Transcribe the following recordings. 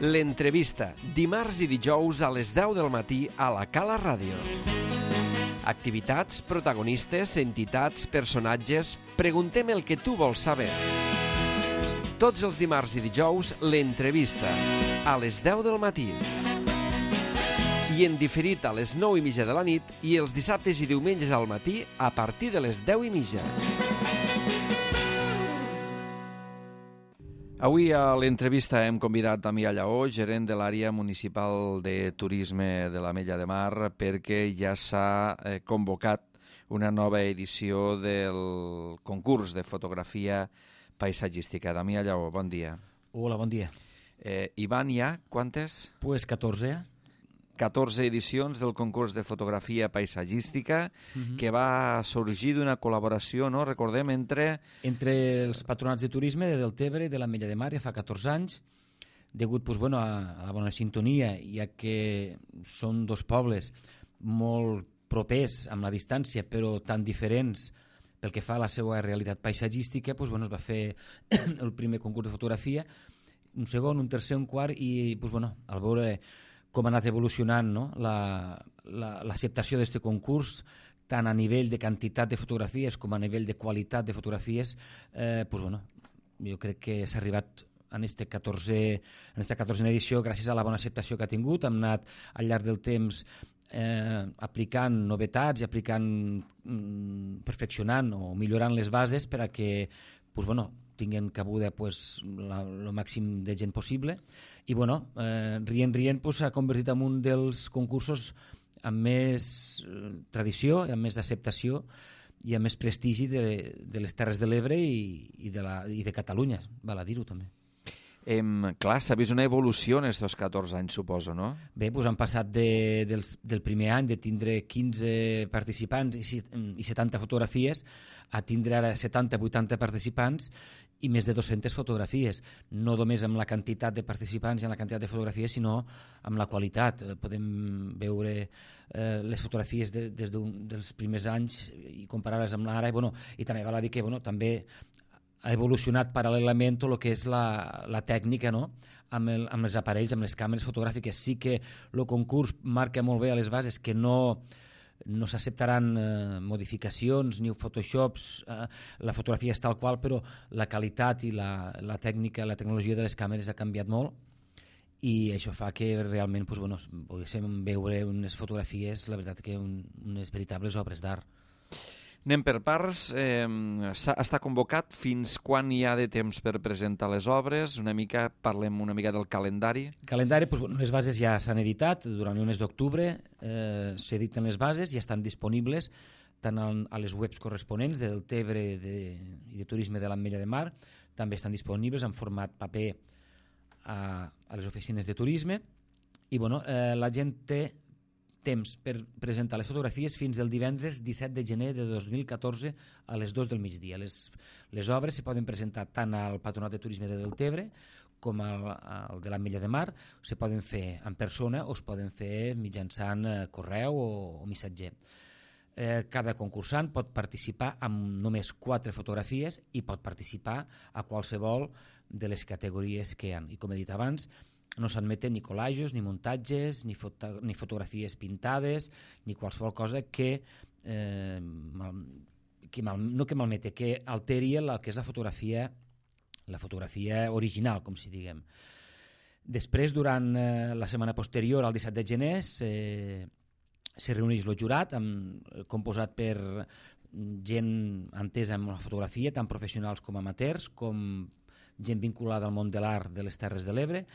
L'entrevista, dimarts i dijous a les 10 del matí a la Cala Ràdio. Activitats, protagonistes, entitats, personatges... Preguntem el que tu vols saber. Tots els dimarts i dijous, l'entrevista, a les 10 del matí. I en diferit a les 9:30 de la nit i els dissabtes i diumenges al matí a partir de les 10:30. Avui a l'entrevista hem convidat a Mia Lleó, gerent de l'àrea municipal de turisme de l'Ametlla de Mar, perquè ja s'ha convocat una nova edició del concurs de fotografia paisatgística. Mia Lleó, bon dia. Hola, bon dia. Hi van ja quantes? Pues 14. 14 edicions del concurs de fotografia paisatgística que va sorgir d'una col·laboració, no? Recordem, entre els patronats de turisme de Deltebre i de l'Ametlla de Mar ja fa 14 anys, degut a la bona sintonia, ja que són dos pobles molt propers amb la distància, però tan diferents pel que fa a la seva realitat paisatgística, es va fer el primer concurs de fotografia, un segon, un tercer, un quart, i al veure com ha anat evolucionant, no? L'acceptació d'aquest concurs, tant a nivell de quantitat de fotografies com a nivell de qualitat de fotografies, jo crec que s'ha arribat en aquesta 14a edició gràcies a la bona acceptació que ha tingut. Hem anat al llarg del temps aplicant novetats i perfeccionant o millorant les bases per a que tinguin cabuda el màxim de gent possible i rient s'ha convertit en un dels concursos amb més tradició i amb més acceptació i amb més prestigi de les Terres de l'Ebre i de Catalunya, val a dir-ho també. Clar, s'ha vist una evolució en aquests 14 anys, suposo, no? Bé, han passat del primer any de tindre 15 participants i 70 fotografies a tindre ara 70-80 participants i més de 200 fotografies, no només amb la quantitat de participants i amb la quantitat de fotografies, sinó amb la qualitat. Podem veure les fotografies des dels primers anys i comparar-les amb l'ara, i també val a dir que també ha evolucionat paral·lelament tot el que és la tècnica, no? amb els aparells, amb les càmeres fotogràfiques. Sí que el concurs marca molt bé a les bases que no s'acceptaran modificacions ni photoshops, la fotografia és tal qual, però la qualitat i la tècnica, la tecnologia de les càmeres ha canviat molt i això fa que realment poguéssim veure unes fotografies, la veritat que unes veritables obres d'art. Anem per parts. Està convocat. Fins quan hi ha de temps per presentar les obres? Parlem una mica del calendari. El calendari, les bases ja s'han editat. Durant el mes d'octubre s'editen les bases i estan disponibles tant a les webs corresponents de Deltebre i de Turisme de l'Ametlla de Mar. També estan disponibles en format paper a les oficines de turisme. I la gent té temps per presentar les fotografies fins el divendres 17 de gener de 2014 a les 2 del migdia. Les obres se poden presentar tant al Patronat de Turisme de Deltebre com al de l'Ametlla de Mar. Se poden fer en persona o es poden fer mitjançant correu o missatger. Cada concursant pot participar amb només 4 fotografies i pot participar a qualsevol de les categories que hi ha. I com he dit abans, no s'admeten ni collages, ni muntatges, ni fotografies pintades, ni qualsevol cosa que malmeti, que alteri el que és la fotografia original, com si diguem. Després, durant la setmana posterior, al 17 de gener, se reuneix el jurat, composat per gent entesa amb la fotografia, tant professionals com amateurs, com gent vinculada al món de l'art de les Terres de l'Ebre,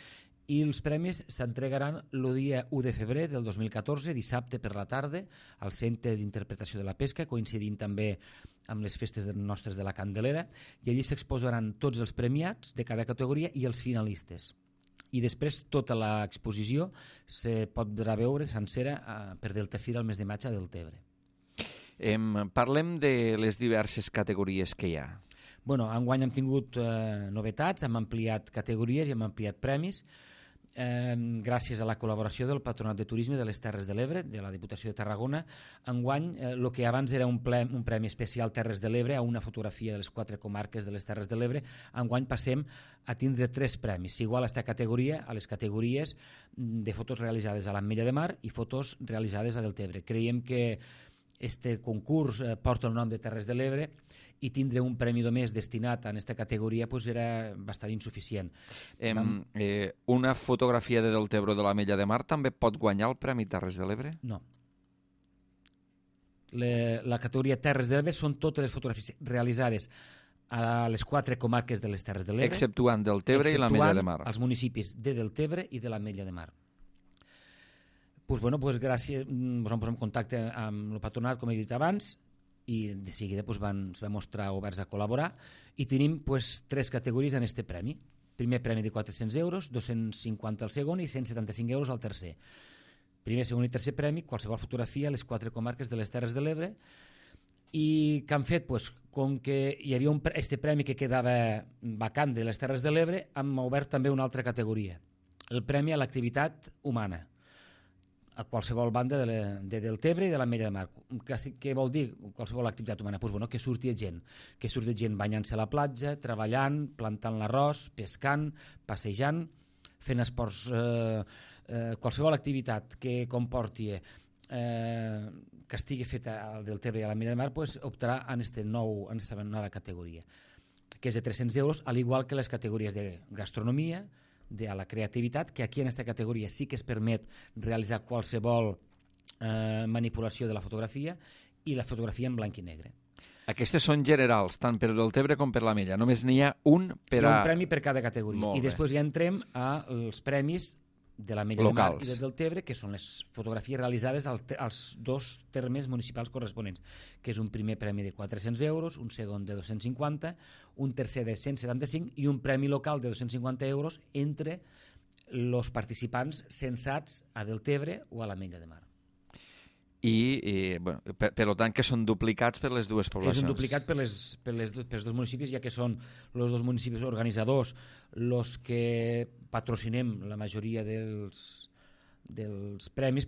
i els premis s'entregaran el dia 1 de febrer del 2014, dissabte per la tarda, al Centre d'Interpretació de la Pesca, coincidint també amb les festes nostres de la Candelera, i allí s'exposaran tots els premiats de cada categoria i els finalistes. I després tota l'exposició se podrà veure sencera per Deltefira el mes de maig a Deltebre. Parlem de les diverses categories que hi ha. Enguany hem tingut novetats, hem ampliat categories i hem ampliat premis. gràcies a la col·laboració del Patronat de Turisme de les Terres de l'Ebre, de la Diputació de Tarragona. Enguany, el que abans era un premi especial Terres de l'Ebre a una fotografia de les 4 comarques de les Terres de l'Ebre, enguany passem a tindre 3 premis, igual a aquesta categoria, a les categories de fotos realitzades a l'Ametlla de Mar i fotos realitzades a Deltebre. Creiem que este concurs porta el nom de Terres de l'Ebre i tindre un premi només destinat a aquesta categoria era bastant insuficient. Una fotografia de Deltebre o de l'Ametlla de Mar també pot guanyar el Premi Terres de l'Ebre? No. La categoria Terres de l'Ebre són totes les fotografies realitzades a les 4 comarques de les Terres de l'Ebre, exceptuant Deltebre i l'Ametlla de Mar. Els municipis de Deltebre i de l'Ametlla de Mar. Gràcies, ens vam posar en contacte amb el patronat, com he dit abans, i de seguida es van mostrar oberts a col·laborar, i tenim 3 categories en aquest premi. Primer premi de 400 euros, 250 al segon i 175 euros al tercer. Primer, segon i tercer premi, qualsevol fotografia a les 4 comarques de les Terres de l'Ebre. I què han fet? Com que hi havia este premi que quedava vacant de les Terres de l'Ebre, hem obert també una altra categoria, el premi a l'activitat humana, a qualsevol banda de Deltebre i de l'Ametlla de Mar. Què vol dir qualsevol activitat humana? Que surti gent banyant-se a la platja, treballant, plantant l'arròs, pescant, passejant, fent esports, qualsevol activitat que comporti que estigui feta al Deltebre i a l'Ametlla de Mar, optarà en aquesta nova categoria, que és de 300 euros, al igual que les categories de gastronomia, de la creativitat, que aquí en aquesta categoria sí que es permet realitzar qualsevol manipulació de la fotografia, i la fotografia en blanc i negre. Aquestes són generals, tant per Deltebre com per l'Ametlla. Només n'hi ha un per a... Hi ha un premi per cada categoria. I després ja entrem als premis de l'Ametlla de Mar i de Deltebre, que són les fotografies realitzades als 2 termes municipals corresponents, que és un primer premi de 400 euros, un segon de 250, un tercer de 175 i un premi local de 250 euros entre els participants censats a Deltebre o a l'Ametlla de Mar. Per tant, que són duplicats per les dues poblacions. És un duplicat pels 2 municipis, ja que són els 2 municipis organitzadors els que patrocinem la majoria dels premis,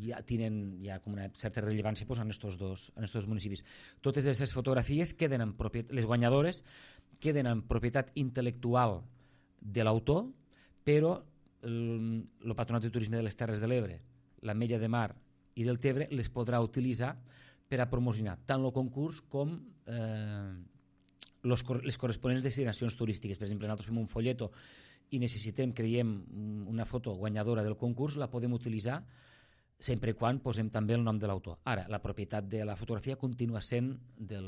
ja tenen com una certa rellevància en aquests dos municipis. Totes aquestes fotografies queden en propietat, les guanyadores queden en propietat intel·lectual de l'autor, però el Patronat de Turisme de les Terres de l'Ebre, l'Ametlla de Mar i Deltebre les podrà utilitzar per a promocionar tant el concurs com les corresponents destinacions turístiques. Per exemple, nosaltres fem un folleto i necessitem, creiem, una foto guanyadora del concurs, la podem utilitzar sempre i quan posem també el nom de l'autor. Ara, la propietat de la fotografia continua sent de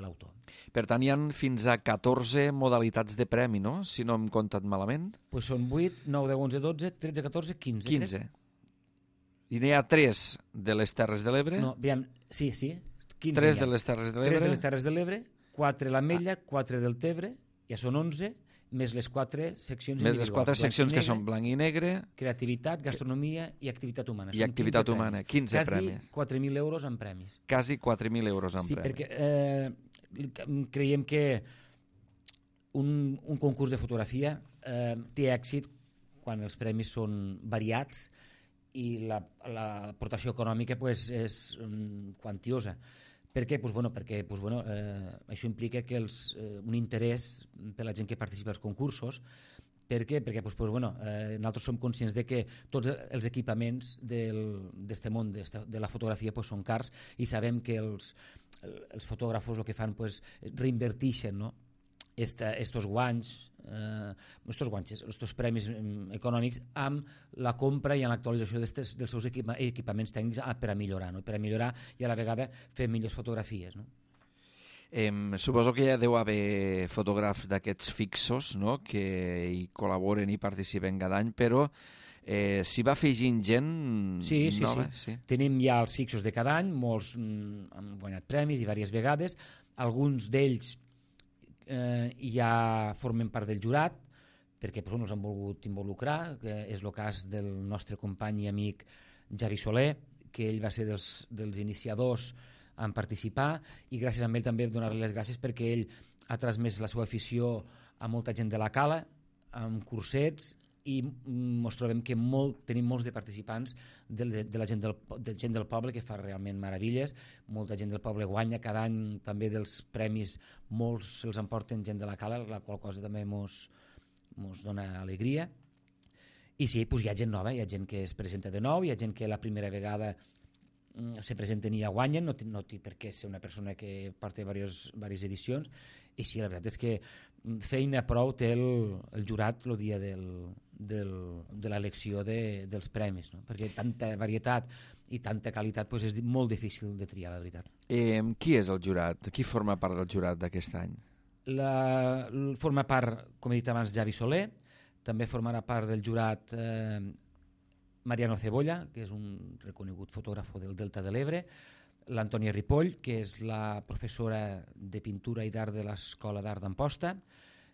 l'autor. Per tant, hi ha fins a 14 modalitats de premi, no? Si no hem comptat malament. Són 8, 9, 10, 11, 12, 13, 14, 15. 15. I n'hi ha 3 de les Terres de l'Ebre? No, aviam, sí, 15. 3 de les Terres de l'Ebre? 3 de les Terres de l'Ebre, 4 l'Ametlla, 4 del Tebre, ja són 11, més les 4 seccions individuals. Més les 4 seccions que són blanc i negre. Creativitat, gastronomia i activitat humana. I activitat humana, 15 premis. Quasi 4.000 euros en premis. Quasi 4.000 euros en premis. Sí, perquè creiem que un concurs de fotografia té èxit quan els premis són variats i l'aportació econòmica és quantiosa. Per què? Perquè això implica que un interès per la gent que participa als concursos. Per què? Perquè nosaltres som conscients de que tots els equipaments d'este món de la fotografia són cars i sabem que els fotògrafos el que fan reinverteixen estos guanys, estos premis econòmics amb la compra i en l'actualització dels seus equipaments tècnics per a millorar i a la vegada fer millors fotografies. Suposo que ja deu haver fotògrafs d'aquests fixos que hi col·laboren i participen cada any, però s'hi va afegint gent nova? Sí. Tenim ja els fixos de cada any, molts han guanyat premis i diverses vegades, alguns d'ells ja formen part del jurat perquè ens han volgut involucrar, que és el cas del nostre company i amic Javi Soler, que ell va ser dels iniciadors en participar, i gràcies a ell també donar-li les gràcies perquè ell ha transmès la seva afició a molta gent de la Cala, amb cursets i ens trobem que tenim molts de participants de la gent del poble, que fa realment meravilles. Molta gent del poble guanya cada any també dels premis, molts se'ls emporten gent de la Cala, la qual cosa també ens dona alegria. I sí, doncs hi ha gent nova, hi ha gent que es presenta de nou, hi ha gent que la primera vegada se presenten i ja guanyen, no té per què ser una persona que porta diverses edicions. I sí, la veritat és que feina prou té el jurat el dia de l'elecció dels premis, no? Perquè tanta varietat i tanta qualitat és molt difícil de triar, la veritat. Qui és el jurat? Qui forma part del jurat d'aquest any? Forma part, com he dit abans, Javi Soler. També formarà part del jurat Mariano Cebolla, que és un reconegut fotògraf del Delta de l'Ebre, l'Antònia Ripoll, que és la professora de pintura i d'art de l'Escola d'Art d'Amposta,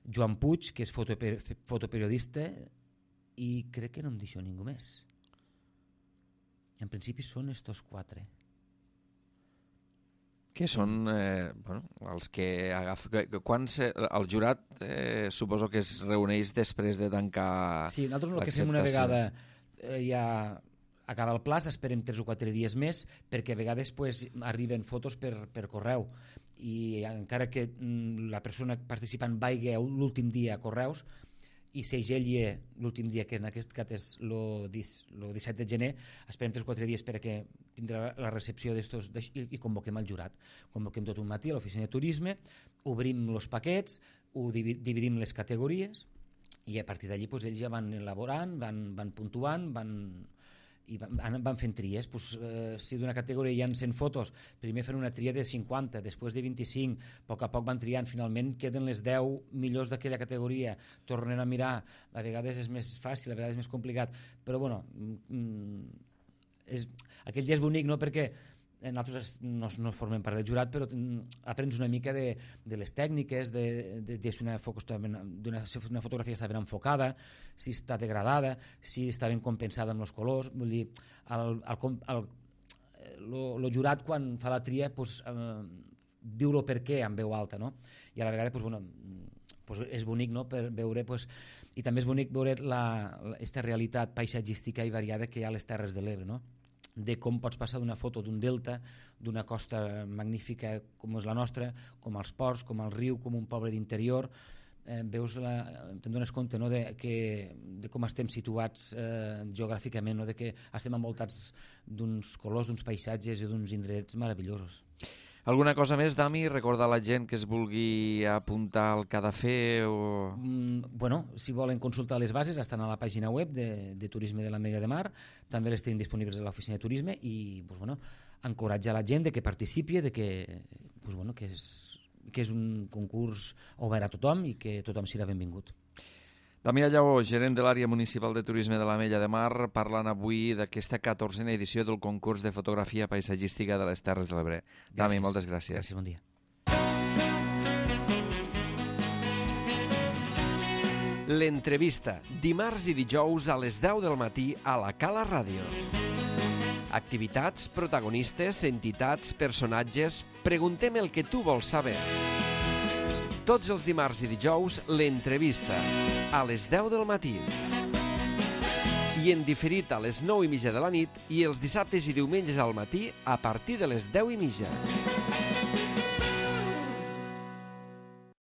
Joan Puig, que és fotoperiodista, i crec que no em deixo ningú més. En principi són estos 4. Que són els que agafen... El jurat suposo que es reuneix després de tancar... Sí, nosaltres el que fem una vegada ja acaba el plaç, esperem 3 o 4 dies més, perquè a vegades arriben fotos per correu, i encara que la persona participant vagi l'últim dia a correus i segelli l'últim dia, que en aquest cas és el 17 de gener, esperem 3 o 4 dies perquè tindrà la recepció d'estos i convoquem el jurat. Convoquem tot un matí a l'oficina de turisme, obrim els paquets, ho dividim les categories i a partir d'allí ells ja van elaborant, van puntuant, van fent tries. Si d'una categoria hi ha 100 fotos, primer fan una tria de 50, després de 25, a poc van triant, finalment queden les 10 millors d'aquella categoria, tornen a mirar, a vegades és més fàcil, a vegades és més complicat, però bueno, aquell dia és bonic, no?, perquè nosaltres no formem part del jurat, però aprens una mica de les tècniques, de si una fotografia està ben enfocada, si està degradada, si està ben compensada amb els colors. Vull dir, el jurat quan fa la tria diu-lo per què en veu alta, no? I a la vegada és bonic, no?, per veure, i també és bonic veure aquesta realitat paisatgística i variada que hi ha a les Terres de l'Ebre, no?, de com pots passar d'una foto d'un delta, d'una costa magnífica com és la nostra, com els ports, com el riu, com un poble d'interior. Te'n dones compte, no?, de com estem situats geogràficament, no?, de que estem envoltats d'uns colors, d'uns paisatges i d'uns indrets meravellosos. Alguna cosa més, Dami? Recordar a la gent que es vulgui apuntar al que ha de fer? Si volen consultar les bases, estan a la pàgina web de Turisme de l'Ametlla de Mar, també les tenim disponibles a l'oficina de turisme, i encoratjar la gent que participi, que és un concurs obert a tothom i que tothom serà benvingut. Damià Lleó, gerent de l'àrea municipal de turisme de l'Ametlla de Mar, parlant avui d'aquesta 14a edició del concurs de fotografia paisatgística de les Terres de l'Ebre. Dami, moltes gràcies. Gràcies, bon dia. L'entrevista, dimarts i dijous a les 10 del matí a la Cala Ràdio. Activitats, protagonistes, entitats, personatges... Preguntem el que tu vols saber. Tots els dimarts i dijous, l'entrevista, a les 10 del matí. I en diferit a les 9:30 de la nit i els dissabtes i diumenges al matí a partir de les 10:30.